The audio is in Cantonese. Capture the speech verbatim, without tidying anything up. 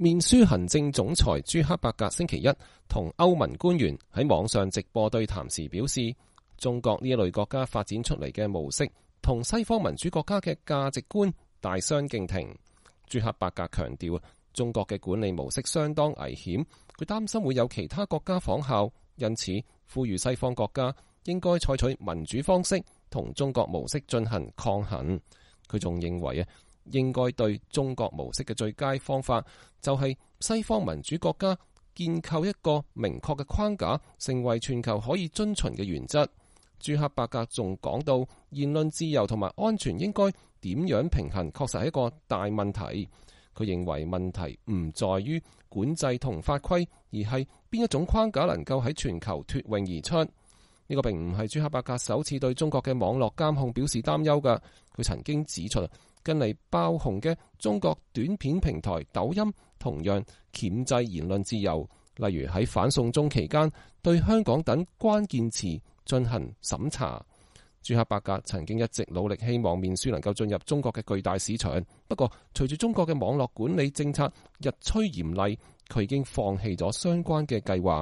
面書行政總裁朱克伯格星期一同歐盟官員喺網上直播對談時表示，中國呢一類國家發展出嚟嘅模式同西方民主國家嘅價值觀大相徑庭。朱克伯格強調，中國嘅管理模式相當危險，佢擔心會有其他國家仿效，因此呼籲西方國家應該採取民主方式同中國模式進行抗衡。佢仲認為啊，應該對中國模式嘅最佳方法就係西方民主國家建構一個明確嘅框架，成為全球可以遵循嘅原則。朱克伯格仲講到，言論自由同埋安全應該點樣平衡，確實係一個大問題。佢認為問題唔在於管制同法規，而係邊一種框架能夠喺全球脫穎而出。呢個並唔係朱克伯格首次對中國嘅網絡監控表示擔憂㗎。佢曾經指出，近嚟爆紅嘅中國短片平台抖音同樣鉗制言論自由，例如喺反送中期間對香港等關鍵詞進行審查。朱克伯格曾經一直努力希望面書能夠進入中國嘅巨大市場，不過隨住中國嘅網絡管理政策日趨嚴厲，佢已經放棄咗相關嘅計劃。